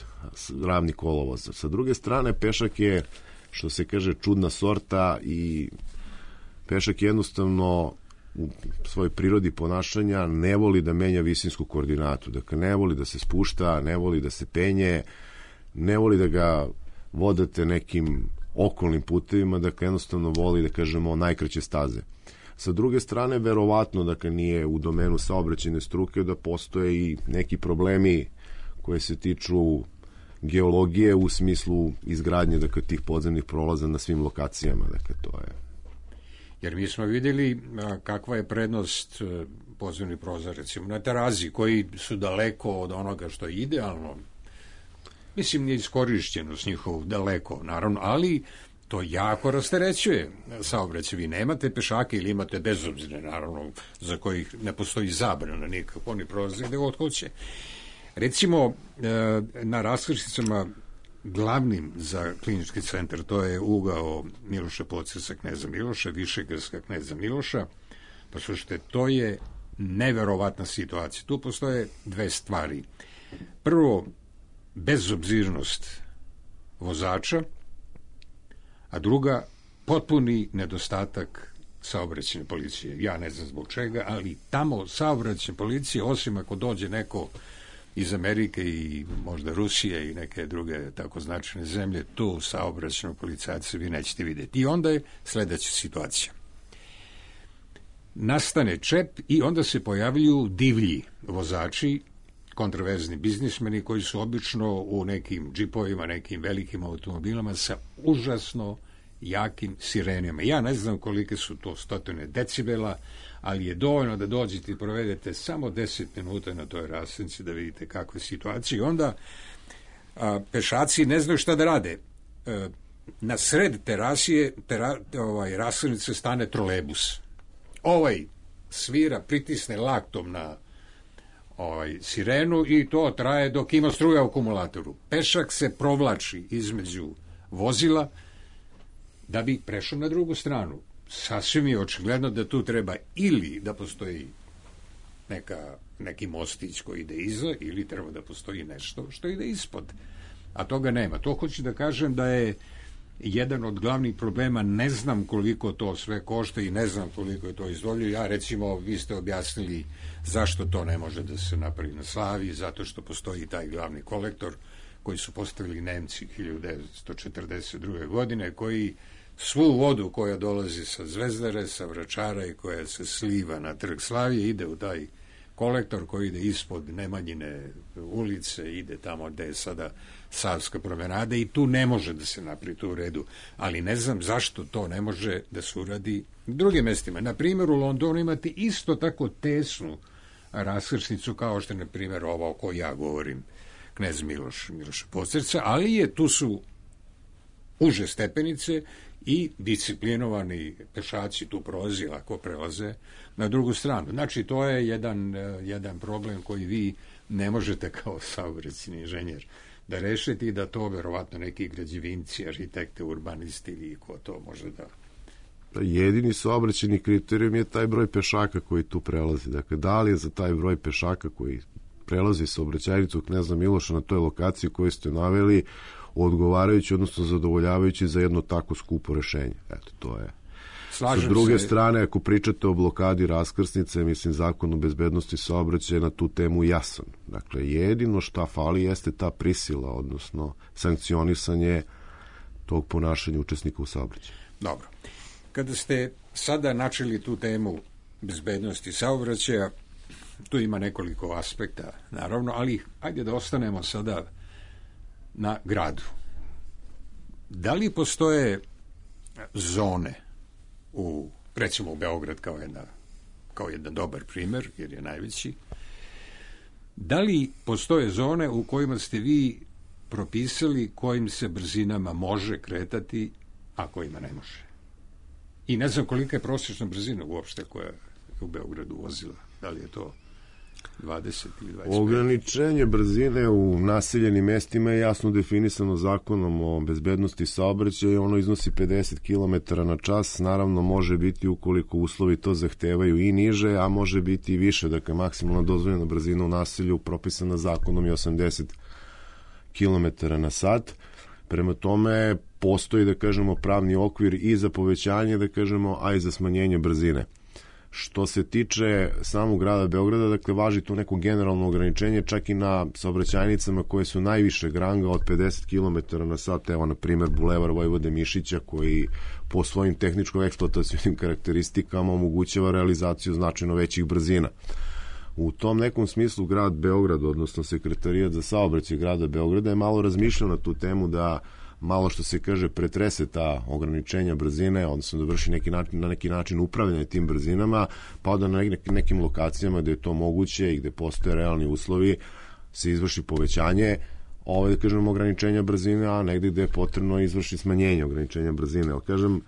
ravnih kolovoza. Sa druge strane, pešak je, što se kaže, čudna sorta i pešak jednostavno u svojoj prirodi ponašanja ne voli da menja visinsku koordinatu. Dakle, ne voli da se spušta, ne voli da se penje, ne voli da ga vodate nekim okolnim putevima, dakle, jednostavno voli, da kažemo, najkraće staze. Sa druge strane, verovatno, dakle, nije u domenu saobraćajne struke da postoje i neki problemi koje se tiču geologije u smislu izgradnje, dakle, tih podzemnih prolaza na svim lokacijama. Dakle, to je... Jer mi smo vidjeli kakva je prednost podzemnih prolaza, recimo na Terazi, koji su daleko od onoga što je idealno. Mislim, nije iskorišćenost njihov daleko, naravno, ali to jako rasterećuje saobraćaj. Vi nemate pešake ili imate bezobzirne, naravno, za kojih ne postoji zabrana nikako, oni prolaze gde god hoće. Recimo, na raskrsnicama glavnim za klinički centar, to je ugao Miloša Pocerca, kneza Miloša, Višegradska, kneza Miloša. Pa slušajte, to je neverovatna situacija. Tu postoje dve stvari. Prvo, bezobzirnost vozača, a druga, potpuni nedostatak saobraćajne policije. Ja ne znam zbog čega, ali tamo saobraćajne policije, osim ako dođe neko iz Amerike i možda Rusije i neke druge tako značajne zemlje, tu saobraćajnog policajca vi nećete vidjeti. I onda je sledeća situacija. Nastane čep i onda se pojavljuju divlji vozači, kontroverzni biznismeni koji su obično u nekim džipovima, nekim velikim automobilama sa užasno jakim sirenima. Ja ne znam kolike su to stotine decibela, ali je dovoljno da dođete i provedete samo deset minuta na toj raskrsnici da vidite kakva je situacija. I onda a, pešaci ne znaju šta da rade. E, na sred terasije, tera, ovaj, raskrsnice stane trolejbus. Ovaj svira, pritisne laktom na ovaj, sirenu i to traje dok ima struja u akumulatoru. Pešak se provlači između vozila da bi prešao na drugu stranu. Sasvim je očigledno da tu treba ili da postoji neka, neki mostić koji ide iza, ili treba da postoji nešto što ide ispod. A toga nema. To hoću da kažem da je jedan od glavnih problema. Ne znam koliko to sve košta i ne znam koliko je to izdvoljio. Ja, recimo, vi ste objasnili zašto to ne može da se napravi na Slaviji, zato što postoji taj glavni kolektor koji su postavili Nemci hiljadu devetsto četrdeset druge. godine, koji svu vodu koja dolazi sa Zvezdare, sa Vračara i koja se sliva na Trg Slavije ide u taj kolektor koji ide ispod Nemanjine ulice, ide tamo gde je sada Savska promenada i tu ne može da se napravi to u redu. Ali ne znam zašto to ne može da se uradi u drugim mestima. Na primjer, u Londonu imate isto tako tesnu raskrsnicu kao što je, na primjer, ovo o kojoj ja govorim, knez Miloš, Miloša Pocerca, ali je, tu su uže stepenice i disciplinovani pešaci tu prolazi, lako prelaze na drugu stranu. Znači, to je jedan, jedan problem koji vi ne možete kao saobraćajni inženjer da rešite i da to verovatno neki građevinci, arhitekte, urbanisti ili ko to može da Jedini saobraćajni kriterijum je taj broj pešaka koji tu prelazi. Dakle, da li je za taj broj pešaka koji prelazi saobraćajnicu Kneza Miloša na toj lokaciji koju ste naveli odgovarajući, odnosno zadovoljavajući za jedno tako skupo rešenje. Eto, to je. Slažem Sa druge se. strane, ako pričate o blokadi raskrsnice, mislim, Zakon o bezbednosti saobraćaja na tu temu jasan. Dakle, jedino šta fali jeste ta prisila, odnosno sankcionisanje tog ponašanja učesnika u saobraćaju. Dobro. Kada ste sada načeli tu temu bezbednosti saobraćaja, tu ima nekoliko aspekta, naravno, ali ajde da ostanemo sada na gradu. Da li postoje zone u, recimo u Beograd kao jedna, kao jedan dobar primer, jer je najveći, da li postoje zone u kojima ste vi propisali kojim se brzinama može kretati, a kojima ne može? I ne znam kolika je prosječna brzina uopšte koja je u Beogradu vozila. Da li je to dvadeset ili dvadeset pet? Ograničenje brzine u naseljenim mestima je jasno definisano Zakonom o bezbednosti saobraćaja i ono iznosi pedeset kilometara na čas. Naravno, može biti, ukoliko uslovi to zahtevaju, i niže, a može biti i više. Dakle, maksimalna dozvoljena brzina u naselju propisana zakonom je osamdeset kilometara na sat. Prema tome, postoji, da kažemo, pravni okvir i za povećanje, da kažemo, a i za smanjenje brzine. Što se tiče samog grada Beograda, dakle, važi to neko generalno ograničenje, čak i na saobraćajnicama koje su najvišeg ranga od pedeset kilometara na sat. Evo, na primer, Bulevar Vojvode Mišića, koji po svojim tehničko-eksploatacijnim karakteristikama omogućava realizaciju značajno većih brzina. U tom nekom smislu grad Beograd, odnosno Sekretarijat za saobraćaj grada Beograda, je malo razmišljao na tu temu da malo, što se kaže, pretrese ta ograničenja brzine, odnosno da vrši neki način, na neki način upravljanje tim brzinama, pa da na nekim lokacijama gde je to moguće i gde postoje realni uslovi se izvrši povećanje ove, da kažem, ograničenja brzine, a negde gde je potrebno izvrši smanjenje ograničenja brzine. Ali, kažem,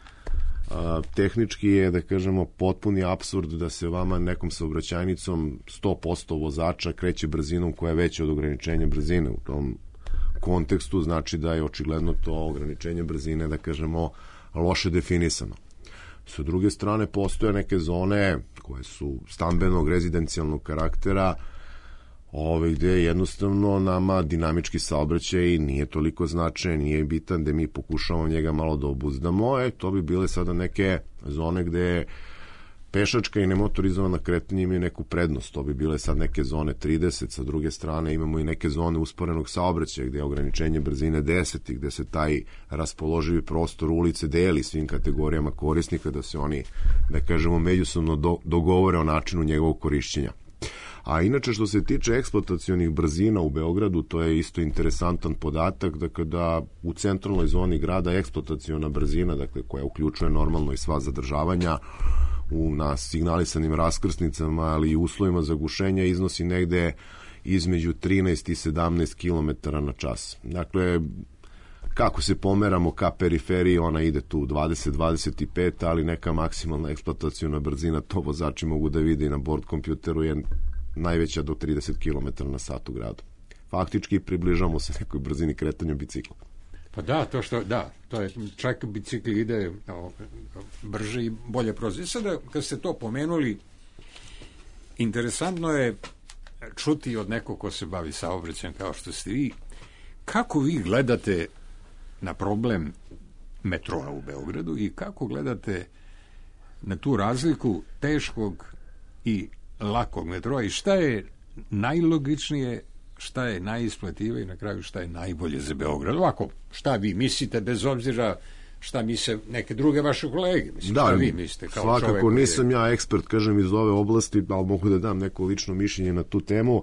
a, tehnički je, da kažemo, potpuni apsurd da se vama nekom saobraćajnicom sto posto vozača kreće brzinom koja je veća od ograničenja brzine. U tom kontekstu znači da je očigledno to ograničenje brzine, da kažemo, loše definisano. Sa druge strane, postoje neke zone koje su stambenog, rezidencijalnog karaktera, ove, gde jednostavno nama dinamički saobraćaj nije toliko značajan, nije bitan, gde mi pokušavamo njega malo da obuzdamo. E, to bi bile sada neke zone gde pešačka i nemotorizovana kretanja imaju neku prednost. To bi bile sad neke zone trideset, sa druge strane imamo i neke zone usporenog saobraćaja gde je ograničenje brzine deset i gde se taj raspoloživi prostor ulice deli svim kategorijama korisnika, da se oni, da kažemo, međusobno do, dogovore o načinu njegovog korišćenja. A inače, što se tiče eksploatacionih brzina u Beogradu, to je isto interesantan podatak, dakle, da u centralnoj zoni grada eksploataciona brzina, dakle, koja uključuje normalno i sva zadržavanja u na signalisanim raskrsnicama, ali i uslovima zagušenja, iznosi negde između trinaest i sedamnaest kilometara na čas. Dakle, kako se pomeramo ka periferiji, ona ide tu dvadeset do dvadeset pet, ali neka maksimalna eksploataciona brzina, to vozači mogu da vide i na bord kompjuteru, je najveća do trideset kilometara na sat u gradu. Faktički približamo se nekoj brzini kretanja bicikla. Pa da, to što, da, to je, čak bicikli ide o, brže i bolje prolazi. Sada, kad ste to pomenuli, interesantno je čuti od nekog ko se bavi saobraćajem kao što ste vi, kako vi gledate na problem metroa u Beogradu i kako gledate na tu razliku teškog i lakog metroa i šta je najlogičnije, šta je najisplativije i na kraju šta je najbolje za Beograd. Ovako, šta vi mislite, bez obzira šta misle neke druge vaše kolege? Mislim, da, šta vi mislite kao svakako čovek nisam je... ja ekspert, kažem, iz ove oblasti, ali mogu da dam neko lično mišljenje na tu temu.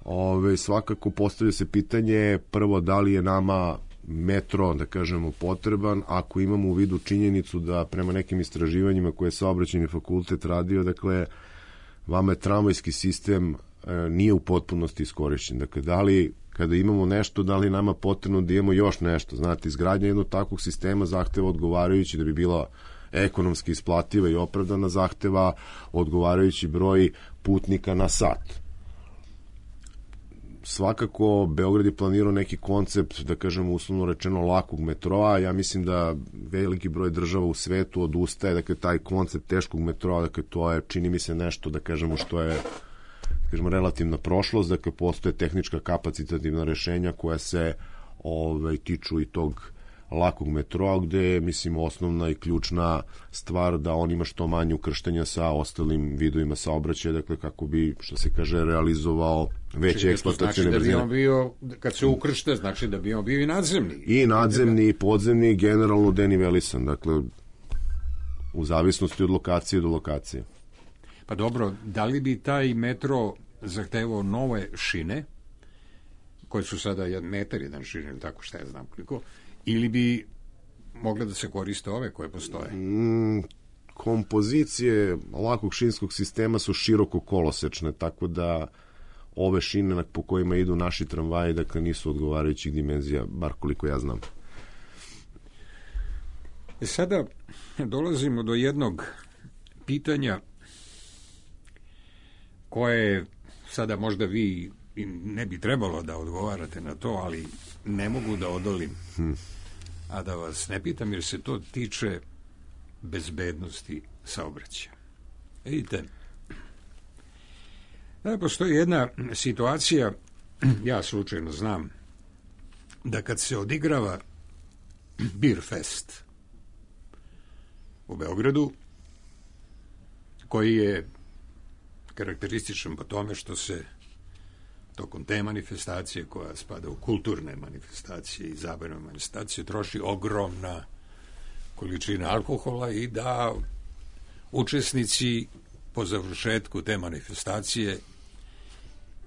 Ove, svakako postavlja se pitanje, prvo, da li je nama metro, da kažemo, potreban, ako imamo u vidu činjenicu da prema nekim istraživanjima koje je Saobraćajni fakultet radio, dakle, vama je tramvajski sistem e, nije u potpunosti iskorišćen. Dakle, da li, kada imamo nešto, da li nama potrebno da imamo još nešto? Znate, izgradnja jednog takvog sistema zahteva odgovarajući, da bi bila ekonomski isplativa i opravdana, zahteva odgovarajući broj putnika na sat. svakako Beograd je planirao neki koncept, da kažemo uslovno rečeno, lakog metroa. Ja mislim da veliki broj država u svetu odustaje, dakle taj koncept teškog metroa, dakle to je, čini mi se, nešto, da kažemo, što je, da kažemo, relativna prošlost, dakle postoje tehnička kapacitativna rešenja koja se ovaj, tiču i tog lakog metroa, gde je, mislim, osnovna i ključna stvar da on ima što manje ukrštanja sa ostalim vidovima saobraćaja, dakle kako bi, što se kaže, realizovao veće eksploatacijne brzine. Znači da bi on bio, kad se ukršte, znači da bi on bio i nadzemni. I nadzemni, i podzemni, generalno denivelisan, dakle u zavisnosti od lokacije do lokacije. Pa dobro, da li bi taj metro zahtevao nove šine, koje su sada jedan metar, jedan šine, ili tako, šta ja znam koliko, ili bi mogle da se koriste ove koje postoje? Mm, kompozicije lakog šinskog sistema su široko kolosečne, tako da ove šine po kojima idu naši tramvaji, dakle, nisu odgovarajućih dimenzija, bar koliko ja znam. E sada dolazimo do jednog pitanja koje sada možda vi ne bi trebalo da odgovarate na to, ali ne mogu da odolim. Hmm. A da vas ne pitam, jer se to tiče bezbednosti saobraćaja. Vidite, da postoji jedna situacija, ja slučajno znam, da kad se odigrava Beer Fest u Beogradu, koji je karakterističan po tome što se tokom te manifestacije, koja spada u kulturne manifestacije i zabavne manifestacije, troši ogromna količina alkohola i da učesnici po završetku te manifestacije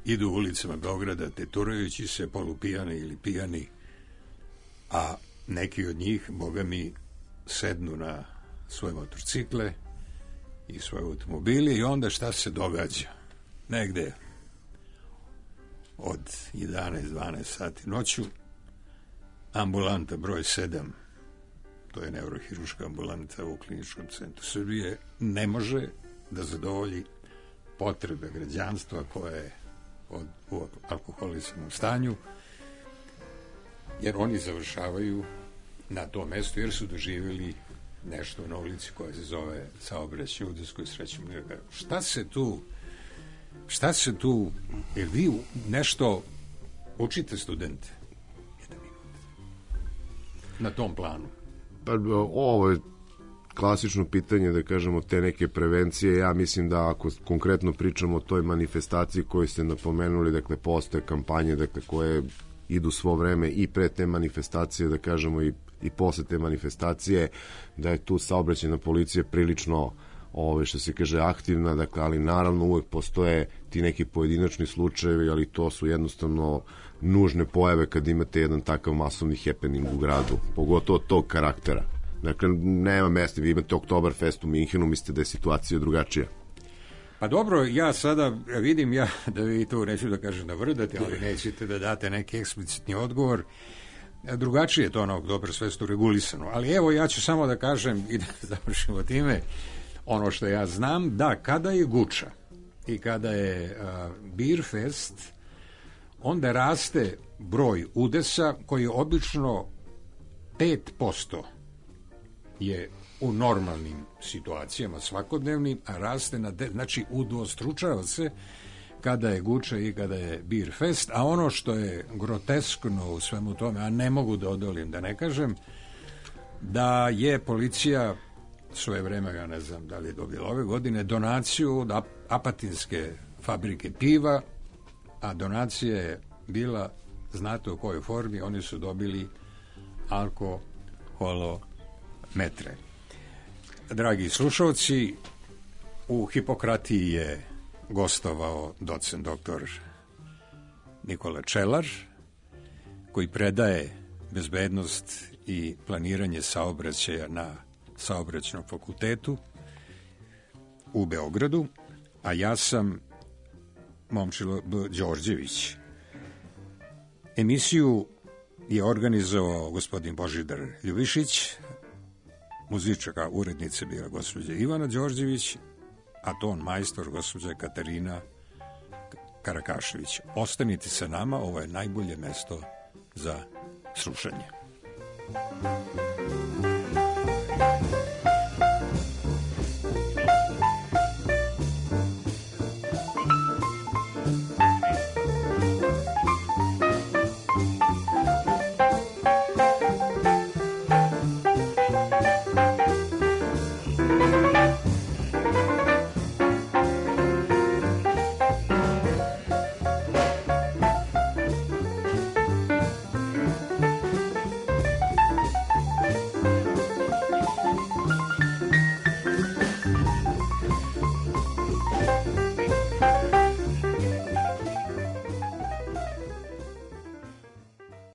idu u ulicama Beograda teturajući se, polupijani ili pijani, a neki od njih, boga mi, sednu na svoje motorcikle i svoje automobili i onda šta se događa? Negde od jedanaest do dvanaest sati noću ambulanta broj sedam, to je neurohiruška ambulanta u Kliničkom centru Srbije, ne može da zadovolji potrebe građanstva koje je od, u alkoholizmom stanju, jer oni završavaju na tom mestu jer su doživjeli nešto na ulici koja se zove saobraćaj u udeskoj srećom. Šta se tu šta se tu, jer vi nešto učite studente na tom planu? Pa ovo je klasično pitanje, da kažemo, te neke prevencije. Ja mislim da ako konkretno pričamo o toj manifestaciji koju ste napomenuli, dakle postoje kampanje, dakle, koje idu svo vreme i pre te manifestacije, da kažemo, i, i posle te manifestacije, da je tu saobraćajna policija prilično, ove, što se kaže, aktivna, dakle, ali naravno uvek postoje ti neki pojedinačni slučajevi, ali to su jednostavno nužne pojave kad imate jedan takav masovni happening u gradu, pogotovo tog karaktera. Dakle, nema mesta, vi imate Oktoberfest u Minhenu, mislite da je situacija drugačija. Pa dobro, ja sada vidim ja da vi to, neću da kažem da vrdate, ali nećete da date neki eksplicitni odgovor. Drugačije je to na Oktoberfestu regulisano. Ali evo, ja ću samo da kažem i da završimo time ono što ja znam, da kada je Guča i kada je uh, Beer Fest, onda raste broj udesa koji je obično pet posto je u normalnim situacijama svakodnevnim, a raste na de, znači udvostručava se kada je Guča i kada je Beer Fest, a ono što je groteskno u svemu tome, a ne mogu da odolim da ne kažem, da je policija svoje vreme, ja ne znam da li je dobila ove godine, donaciju od Apatinske fabrike piva, a donacija je bila, znate u kojoj formi, oni su dobili alkoholometre. Dragi slušalci, u Hipokratiji je gostovao docent doktor Nikola Čelar, koji predaje bezbednost i planiranje saobraćaja na Saobraćajnom fakultetu u Beogradu, a ja sam Momčilo B. Đorđević. Emisiju je organizovao gospodin Božidar Ljubišić, muzička urednica bila gospođa Ivana Đorđević, a ton majstor gospođa Katarina Karakašević. Ostanite sa nama, ovo je najbolje mesto za slušanje.